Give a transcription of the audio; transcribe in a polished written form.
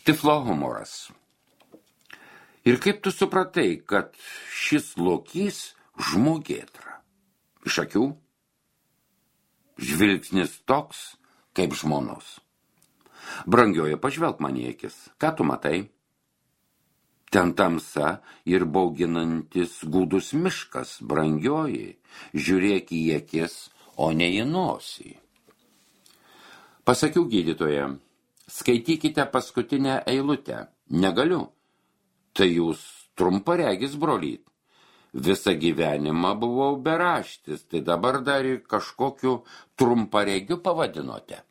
Tiflo humoras. Ir kaip tu supratai, kad šis lokys žmogėtra? Iš akių? Žvilgsnis toks, kaip žmonos. Brangioji, pažvelk man į akis. Ką tu matai? Ten tamsa ir bauginantis gūdus miškas, brangioji. Žiūrėk į akis, o ne į nosį. Pasakiau gydytoje, skaitykite paskutinę eilutę. Negaliu. Tai jūs trumparegis, brolyt. Visą gyvenimą buvau beraštis, tai dabar dar ir kažkokiu trumparegiu pavadinote.